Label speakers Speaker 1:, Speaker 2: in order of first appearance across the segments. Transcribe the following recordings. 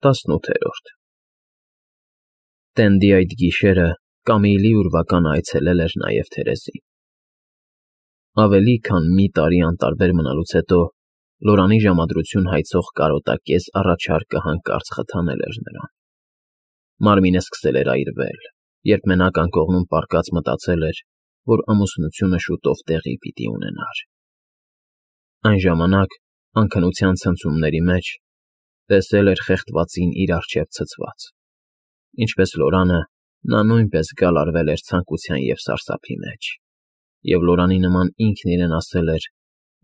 Speaker 1: 18 Տենդի այդ գիշերը Կամիլի ուրվականը այցելել էր նաև Թերեզին։ Ավելի քան մի տարի անտարբեր մնալուց հետո Լորանի ժամադրություն հայցող կարոտակես առաջարկը հանկարծ խթանել էր նրան։ Մարմինը սկսել էր այրվել, երբ մենակ անկողնում պառկած մտածել էր, որ ամուսնությունը շուտով տեղի պիտի ունենար։ Այն ժամանակ, անքնության ցնցումների մեջ, տեսել էր խեղդվածին իր առջև ցցված։ Ինչպես Լորանը, նա նույնպես գալարվել էր ցանկության և սարսափի մեջ, և Լորանի նման ինքն իրեն ասել էր,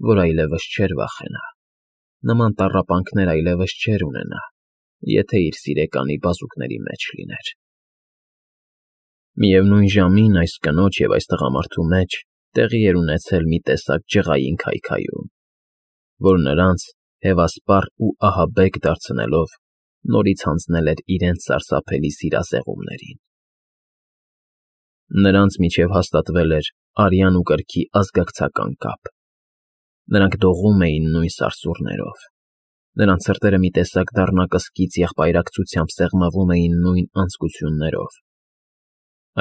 Speaker 1: որ այլևս չէր վախենա, նման տառապանքներ այլևս չէր ունենա, եթե իր սիրեկանի բազուկների մեջ լիներ։ Միևնույն ժամին այս կնոջ և այս տղամարդու մեջ տեղի էր ունեցել մի տեսակ ջղային քայքայում, որ նրանց հևասպառ ու ահաբեկ դարձնելով նորից հանձնել էր իրենց սարսափելի սիրազեղումներին։ Նրանց միջև հաստատվել էր արյան ու կրքի ազգակցական կապ։ Նրանք դողում էին նույն սարսուռներով, նրանց սրտերը մի տեսակ դառնակսկիծ եղբայրակցությամբ սեղմվում էին նույն անձկություններով։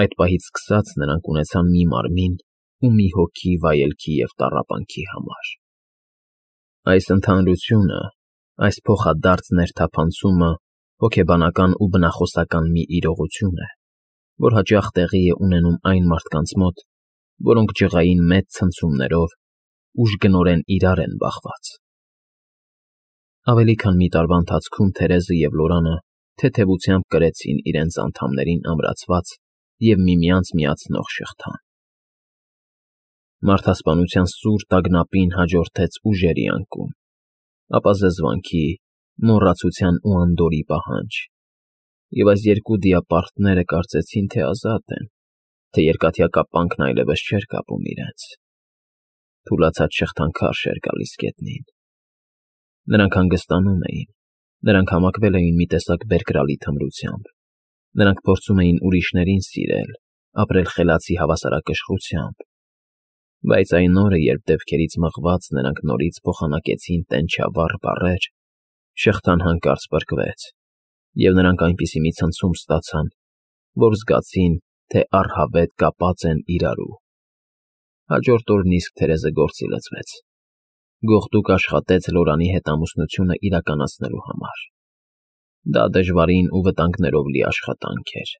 Speaker 1: Այդ պահից սկսած նրանք ունեցան մի մարմին ու մի հոգի վայելքի և տառապանքի համար։ Այս ընդհանրությունը, այս փոխադարձ ներթափանցումը հոգեբանական ու բնախոսական մի իրողություն է, որ հաճախ տեղի է ունենում այն մարդկանց մոտ, որոնք ջղային մեծ ցնցումներով ուժգնորեն իրար են բախված։ Ավելի քան մի տարվա ընթացքում Թերեզը և Լորանը թեթևությամբ կրեցին իրենց անդամներին ամրացված և միմյանց միացնող շղթան։ Մարդասպանության սուր տագնապին հաջորդեց ուժերի անկում, ապա զզվանքի, մոռացության ու անդորրի պահանջ, և այս երկու դիապարտները կարծեցին, թե ազատ են, թե երկաթյա կապանքն այլևս չէր կապում իրենց։ Թուլացած շղթան քարշ էր գալիս գետնին։ Նրանք հանգստանում էին, նրանք համակվել էին մի տեսակ բերկրալի թմրությամբ, նրանք փորձում էին ուրիշներին սիրել, ապրել խելացի հավասարակշռությամբ, բայց այն օրը, երբ դեպքերից մղված նրանք նորից փոխանակեցին տենչավառ բառեր, շղթան հանկարծ պրկվեց, և նրանք այնպիսի մի ցնցում ստացան, որ զգացին, թե առհավետ կապած են իրարու։ Հաջորդ օրն իսկ Թերեզը գործի լծվեց։ Գողտուկ աշխատեց Լորանի հետ ամուսնությունը իրականացնելու համար։ Դա դժվարին ու վտանգներով լի աշխատանք էր։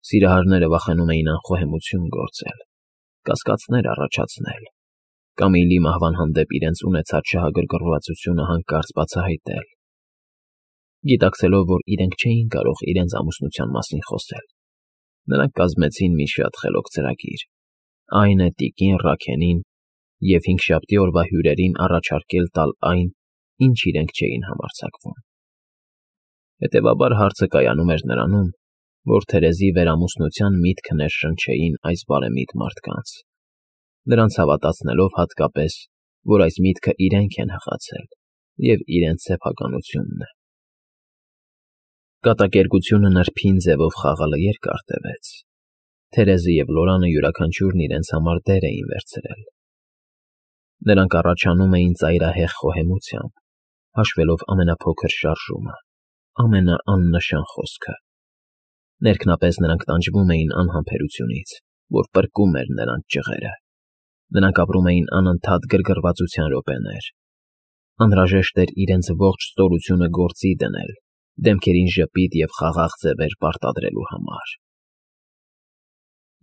Speaker 1: Սիրահարները վախենում էին անխոհեմություն գործել, կասկածներ առաջացնել, Կամիլի մահվան հանդեպ իրենց ունեցած շահագրգռվածությունը հանկարծ բացահայտել։ Գիտակցելով, որ իրենք չէին կարող իրենց ամուսնության մասին խոսել, նրանք կազմեցին մի շատ խելոք ծրագիր, այն է տիկին Ռաքենին և հինգշաբթի օրվա հյուրերին առաջարկել տալ այն, ինչ իրենք չէին համարձակվում։ Հետևաբար հարցը կայանում էր նրանում, որ Թերեզի վերամուսնության միտքը ներշնչեին այս բարեմիտ մարդկանց, նրանց հավատացնելով հատկապես, որ այս միտքը իրենք են հղացել և իրենց սեփականությունն է։ Կատակերգությունը նրբին ձևով խաղալը երկար տևեց։ Թերեզը և Լորանը յուրաքանչյուրն իրենց համար դեր էին վերցրել։ Նրանք առաջանում էին ծայրահեղ խոհեմությամբ, հաշվելով ամենափոքր շարժումը, ամենաաննշան խոսքը։ Ներքնապես նրանք տանջվում էին անհամբերությունից, որ պրկում էր նրանց ջղերը։ Նրանք ապրում էին անընդհատ գրգռվածության րոպեներ։ Անհրաժեշտ էր իրենց ողջ ստորությունը գործի դնել, դեմքերին ժպիտ և խաղաղ ձևեր պարտադրելու համար։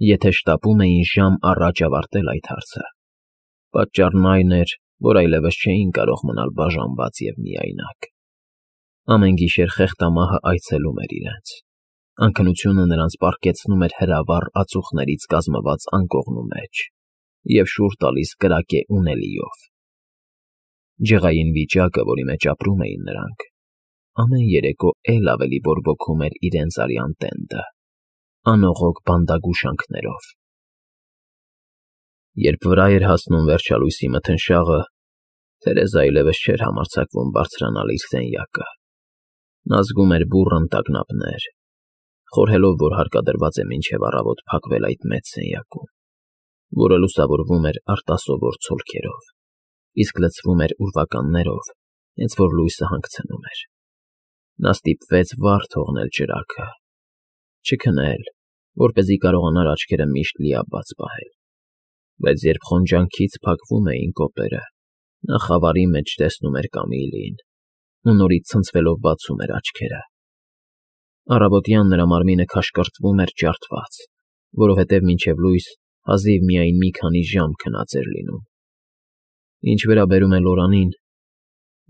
Speaker 1: Եթե շտապում էին ժամ առաջ ավարտել այդ հարցը, պատճառն այն էր, որ այլևս չէին կարող մնալ բաժանված և միայնակ։ Ամեն գիշեր խեղդամահը այցելում էր իրենց։ Անքնությունը նրանց պառկեցնում էր հրավառ ածուխներից կազմված անկողնու մեջ և շուռ տալիս կրակե ունելիով։ Ջղային վիճակը, որի մեջ ապրում էին նրանք, ամեն երեկո էլ ավելի բորբոքում էր իրենց արյան տենդը, անողոք բանդագուշանքներով։ Երբ վրա էր հասնում վերջալույսի մթնշաղը, Թերեզը այլևս չէր համարձակվում բարձրանալ իր սենյակը։ Նա զգում էր բուռն տագնապներ, խորհելով, որ հարկադրված է մինչև առավոտ փակվել այդ մեծ սենյակում, որը լուսավորվում էր արտասովոր ցոլքերով, իսկ լցվում էր ուրվականներով, հենց որ լույսը հանգցնում էր։ Նա ստիպվեց վար թողնել ճրագը, չքնել, որպեսզի կարողանար աչքերը միշտ լիաբաց պահել, բայց երբ խոնջանքից փակվում էին կոպերը, նա խավարի մեջ տեսնում էր Կամիլին ու նորից ցնցվելով բացում էր աչքերը։ Առավոտյան նրա մարմինը քաշկրտվում էր ջարդված, որովհետև մինչև լույս հազիվ միայն մի քանի ժամ քնած էր լինում։ Ինչ վերաբերում է Լորանին,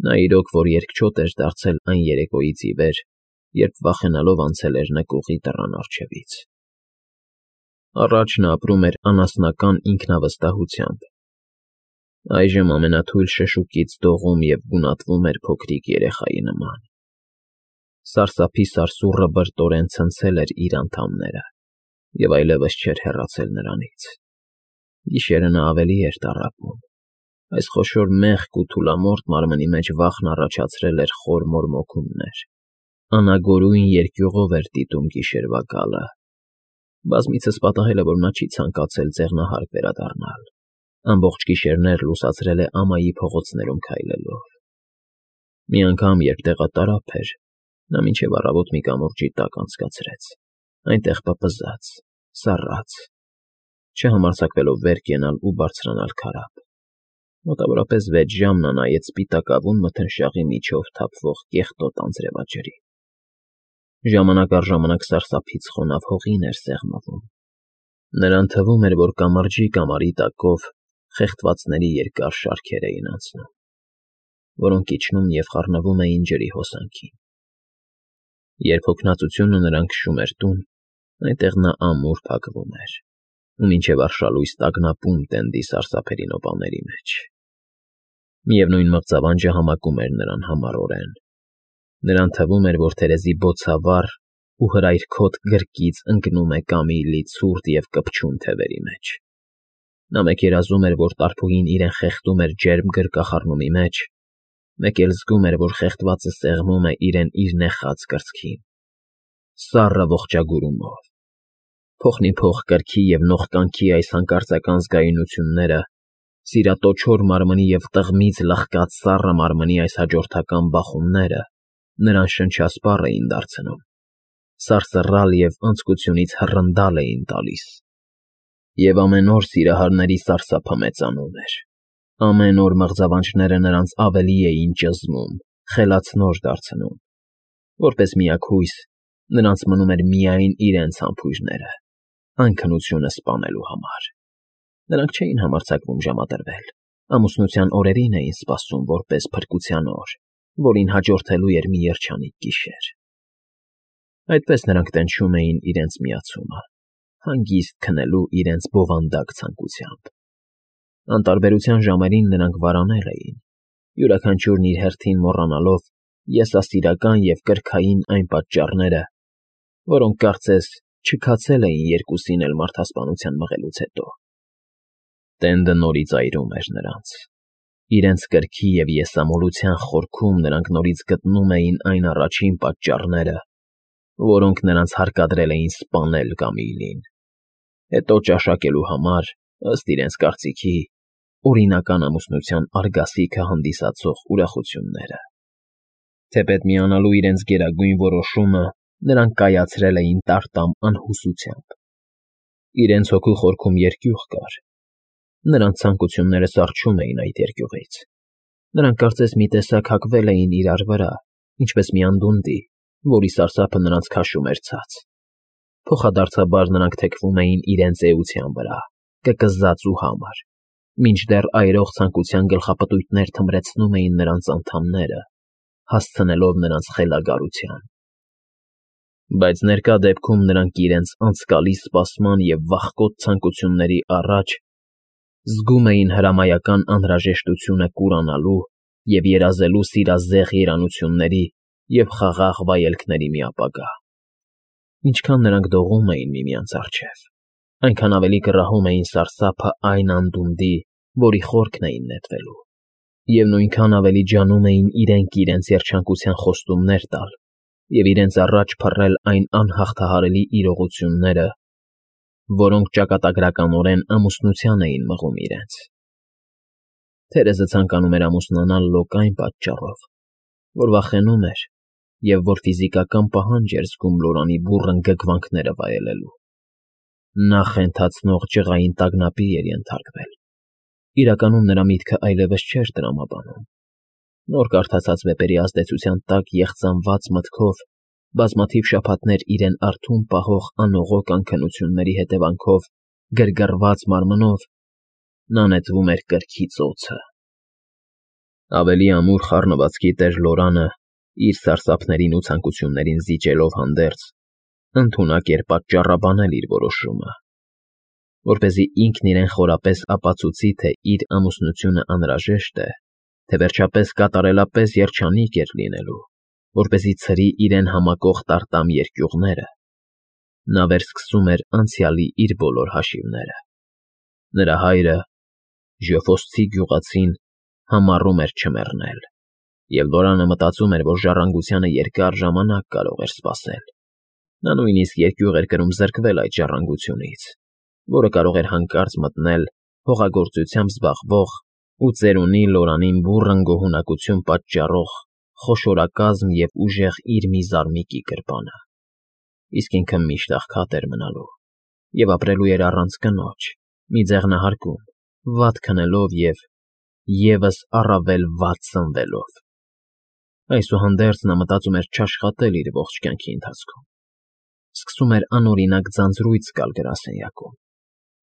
Speaker 1: նա իրոք որ երկչոտ էր դարձել այն երեկոյից ի վեր, երբ վախենալով անցել էր նկուղի դռան առջևից։ Առաջ նա ապրում էր անասնական ինքնավստահությամբ։ Այժմ ամենաթույլ շշուկից դողում և գունատվում էր փոքրիկ երեխայի նման։ Սարսափի սարսուռը բրտորեն ցնցել էր իր անդամները և այլևս չէր հեռացել նրանից։ Գիշերը նա ավելի էր տառապում։ Այս խոշոր մեղք ու թուլամորթ մարմնի մեջ վախն առաջացրել էր խոր մորմոքումներ։ Անագորույն երկյուղով էր դիտում գիշերվա գալը։ Բազմիցս պատահել է, որ նա չի ցանկացել ձեղնահարկ վերադառնալ։ Ամբողջ գիշերներ լուսացրել է ամայի փողոցներում քայլելով։ Մի անգամ, երբ տեղատարափ էր, նա մինչև առավոտ մի կամուրջի տակ անցկացրեց, այնտեղ պպզած, սառած, չհամարձակվելով վեր կենալ ու բարձրանալ քարափ։ Մոտավորապես 6 ժամ նա նայեց սպիտակավուն մթնշաղի միջով թափվող կեղտոտ անձրևաջրին։ Ժամանակ առ ժամանակ սարսափից խոնավ հողին էր սեղմվում։ Նրան թվում էր, որ կամրջի կամարի տակով խեղդվածների երկար շարքեր էին անցնում, որոնք իջնում և խառնվում էին ջրի հոսանքին։ Երբ հոգնածությունը նրան քշում էր տուն, այնտեղ նա ամուր փակվում էր ու մինչև արշալույս տագնապում տենդի սարսափելի նոպաների մեջ։ Միևնույն մղձավանջը համակում էր նրան համառորեն։ Նրան թվում էր, որ թերեզի բոցավառ ու հրայրքոտ գրկից ընկնում է Կամիլի ցուրտ և կպչուն թևերի մեջ։ Նա մեկ երազում էր, որ տարփուհին իրեն խեղդում էր ջերմ գրկախառնումի մեջ, մեկ էլ զգում էր, որ խեղդվածը սեղմում է իրեն իր նեխած կրծքին, սառը ողջագուրումով։ Փոխնիփոխ կրքի և նողկանքի այս հանկարծական զգայունությունները, սիրատոչոր մարմնի և տղմից լխկած սառը մարմնի այս հաջորդական բախումները նրան շնչասպառ էին դարձնում, սարսռալ և անձկությունից հռնդալ էին տալիս։ Եվ ամեն օր սիրահարների սարսափը մեծանում էր։ Ամեն օր մղձավանջները նրանց ավելի էին ճզմում, խելացնոր դարձնում։ Որպես միակ հույս, նրանց մնում էր միայն իրենց համբույրները, այն քնությունը սպանելու համար։ Նրանք չէին համարձակվում ժամադրվել, ամուսնության օրերին էին սպասում որպես փրկության օր, որին հաջորդելու էր մի երջանիկ գիշեր։ Այդպես նրանք տենչում էին իրենց միացումը, հանգիստ քնելու իրենց բովանդակ ցանկությամբ։ Անտարբերության ժամերին նրանք վարանել էին, յուրաքանչյուրն իր հերթին մոռանալով եսասիրական և կրքային այն պատճառները, որոնք կարծես չքացել էին երկուսին էլ մարդասպանության մղելուց հետո։ Տենդը նորից այրում էր նրանց։ Իրենց կրքի և եսամոլության խորքում նրանք նորից գտնում էին այն առաջին պատճառները, որոնք նրանց հարկադրել էին սպանել Կամիլին, հետո ճաշակելու համար, ըստ իրենց կարծիքի, օրինական ամուսնության արգասիքը հանդիսացող ուրախությունները։ Թեպետ միանալու իրենց գերագույն որոշումը նրանք կայացրել էին տարտամ անհուսությամբ։ Իրենց հոգու խորքում երկյուղ կար։ Նրանց ցանկությունները սառչում էին այդ երկյուղից։ Նրանք կարծես մի տեսակ հակվել էին իրար վրա, ինչպես մի անդունդի, որի սարսափը նրանց քաշում էր ցած։ Փոխադարձաբար նրանք թեքվում էին իրենց էության վրա, կկզած ու համր, մինչդեռ այրող ցանկության գլխապտույտներ թմրեցնում էին նրանց անդամները, հասցնելով նրանց խելագարության։ Բայց ներկա դեպքում նրանք իրենց անցկալի սպասման և վախկոտ ցանկությունների առաջ զգում էին հրամայական անհրաժեշտությունը կուրանալու և երազելու սիրազեղ երանությունների և խաղաղ վայելքների մի ապագա։ Ինչքան նրանք դողում էին միմյանց առջև, այնքան ավելի կռահում էին սարսափը այն անդունդի, որի խորքն էին նետվելու, և նույնքան ավելի ջանում էին իրենք երջանկության խոստումներ տալ և իրենց առաջ փռել այն անհաղթահարելի իրողությունները, որոնք ճակատագրականորեն ամուսնության էին մղում իրենց։ Թերեզը ցանկանում էր ամուսնանալ լոկ այն պատճառով, որ վախենում էր, և որ ֆիզիկական պահանջ էր զգում Լորանի բուռն գգվանքները վայելելու։ Նա խենթացնող ջղային տագնապի էր ենթարկվել։ Իրականում նրա միտքը այլևս չէր տրամաբանում։ Նոր կարդացած վեպերի ազդեցության տակ եղծանված մտքով, բազմաթիվ շաբաթներ իրեն արթուն պահող անողոք անքնությունների հետևանքով գրգռված մարմնով, նա նետվում էր կրքի ծոցը։ Ավելի ամուր խառնվածքի տեր Լորանը, իր սարսափներին ու ցանկություններին զիջելով հանդերձ, ընդունակ էր պատճառաբանել իր որոշումը, որպեսզի ինքն իրեն խորապես ապացուցի, թե իր ամուսնությունը անհրաժեշտ է, թե վերջապես կատարելապես երջանիկ էր լինելու, որպեսզի ցրի իրեն համակող տարտամ երկյուղները։ Նա վերսկսում էր անցյալի իր բոլոր հաշիվները։ Նրա հայրը, Ժեոֆոսցի գյուղացին, համառում էր չմեռնել, և Լորանը մտածում էր, որ ժառանգությանը երկար ժամանակ կարող էր սպասել։ Նա նույնիսկ երկյուղ էր կրում զրկվել այդ ժառանգությունից, որը կարող էր հանկարծ մտնել հողագործությամբ զբաղվող ու ծերունի Լորանին բուռն գոհունակություն պատճառող խոշորակազմ և ուժեղ իր մի զարմիկի գրպանը։ Իսկ ինքը միշտ աղքատ էր մնալու և ապրելու էր առանց կնոջ, մի ձեղնահարկում, վատ քնելով և ևս առավել վատ սնվելով։ Այսուհանդերձ նա մտածում էր չաշխատել իր ողջ կյանքի ընթացքում։ Սկսում էր անօրինակ ձանձրույց զգալ գրասենյակում։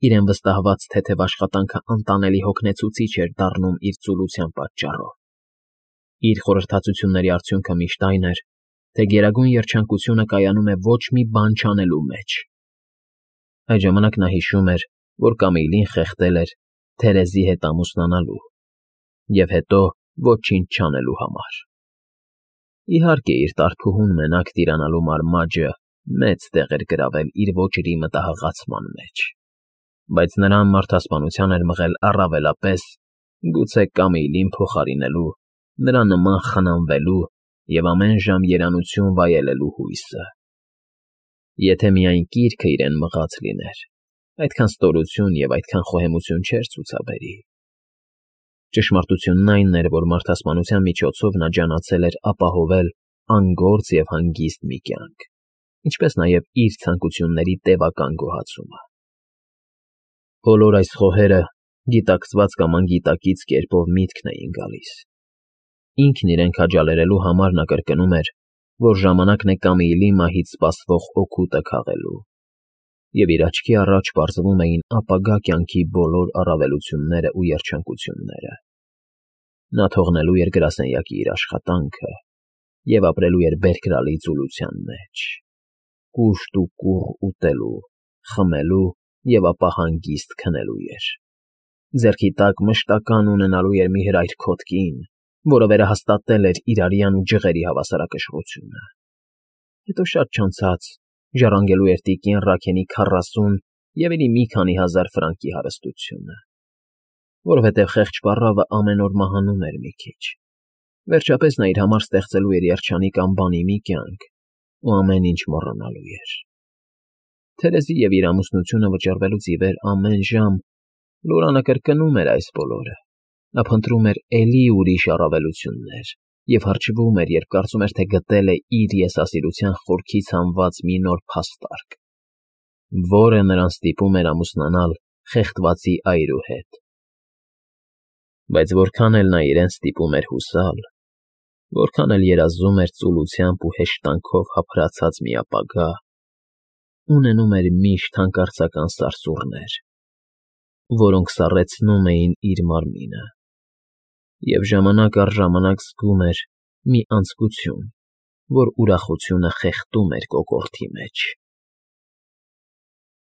Speaker 1: Իրեն վստահված թեթև աշխատանքը անտանելի հոգնեցուցիչ էր դառնում իր ծուլության պատճառով։ Իր խորհրդածությունների արդյունքը միշտ այն էր, թե գերագույն երջանկությունը կայանում է ոչ մի բան չանելու մեջ։ Այդ ժամանակ նա հիշում էր, որ Կամիլին խեղդել էր Թերեզի հետ ամուսնանալու և հետո ոչինչ չանելու համար։ Իհարկե, իր տարփուհուն մենակ տիրանալու մարմաճը մեծ տեղ էր գրավել իր ոճրի մտահղացման մեջ, բայց նրան մարդասպանության էր մղել առավելապես, գուցե Կամիլին փոխարինելու, նրա նման խնամվելու և ամեն ժամ երանություն վայելելու հույսը։ Եթե միայն կիրքը իրեն մղած լիներ, այդքան ստորություն և այդքան խոհեմություն չէր ցուցաբերի։ Ճշմարտությունն այն էր, որ մարդասպանության միջոցով նա ջանացել էր ապահովել անգործ և հանգիստ մի կյանք, ինչպես նաև իր ցանկությունների տևական գոհացումը։ Բոլոր այս խոհերը գիտակցված կամ անգիտակից կերպով միտքն էին գալիս։ Ինքն իրեն քաջալերելու համար նա կրկնում էր, որ ժամանակն է Կամիլի մահից սպասվող օգուտը քաղելու, և իր աչքի առաջ պարզվում էին ապագա կյանքի բոլոր առավելությունները ու երջանկությունները։ Նա թողնելու էր գրասենյակի իր աշխատանքը և ապրելու էր բերկրալի ծուլության մեջ, կուշտ ու կուռ ուտելու, խմելու և ապա հանգիստ քնելու էր։ Ձեռքի տակ մշտական ունենալու էր մի հրայր-քոթ կին, որը վերահաստատել էր իր արյան ու ջղերի հավասարակշռությունը։ Հետո շատ չանցած ժառանգելու էր տիկին Ռաքենի 40 և էլի մի քանի հազար ֆրանկի հարստությունը, որովհետև խեղճ պառավը ամեն օր մահանում էր մի քիչ։ Վերջապես նա իր համար ստեղծելու էր երջանիկ անբանի մի կյանք ու ամեն ինչ մոռանալու էր։ Թերեզի և իր ամուսնությունը վճռվելուց ի վեր ամեն ժամ Լորանը կրկնում էր այս բոլորը։ Նա փնտրում էր էլի ուրիշ առավելություններ և հրճվում էր, երբ կարծում էր, թե գտել է իր եսասիրության խորքից հանված մի նոր փաստարկ, որը նրան ստիպում էր ամուսնանալ խեղդվածի այրու հետ։ Բայց որքան էլ նա իրեն ստիպում էր հուսալ, որքան էլ երազում էր ծուլությամբ ու հեշտանքով հափրացած մի ապագա, ունենում էր միշտ հանկարծական սարսուռներ, որոնք սառեցնում էին իր մարմինը, և ժամանակ առ ժամանակ զգում էր մի անձկություն, որ ուրախությունը խեղդում էր կոկորդի մեջ։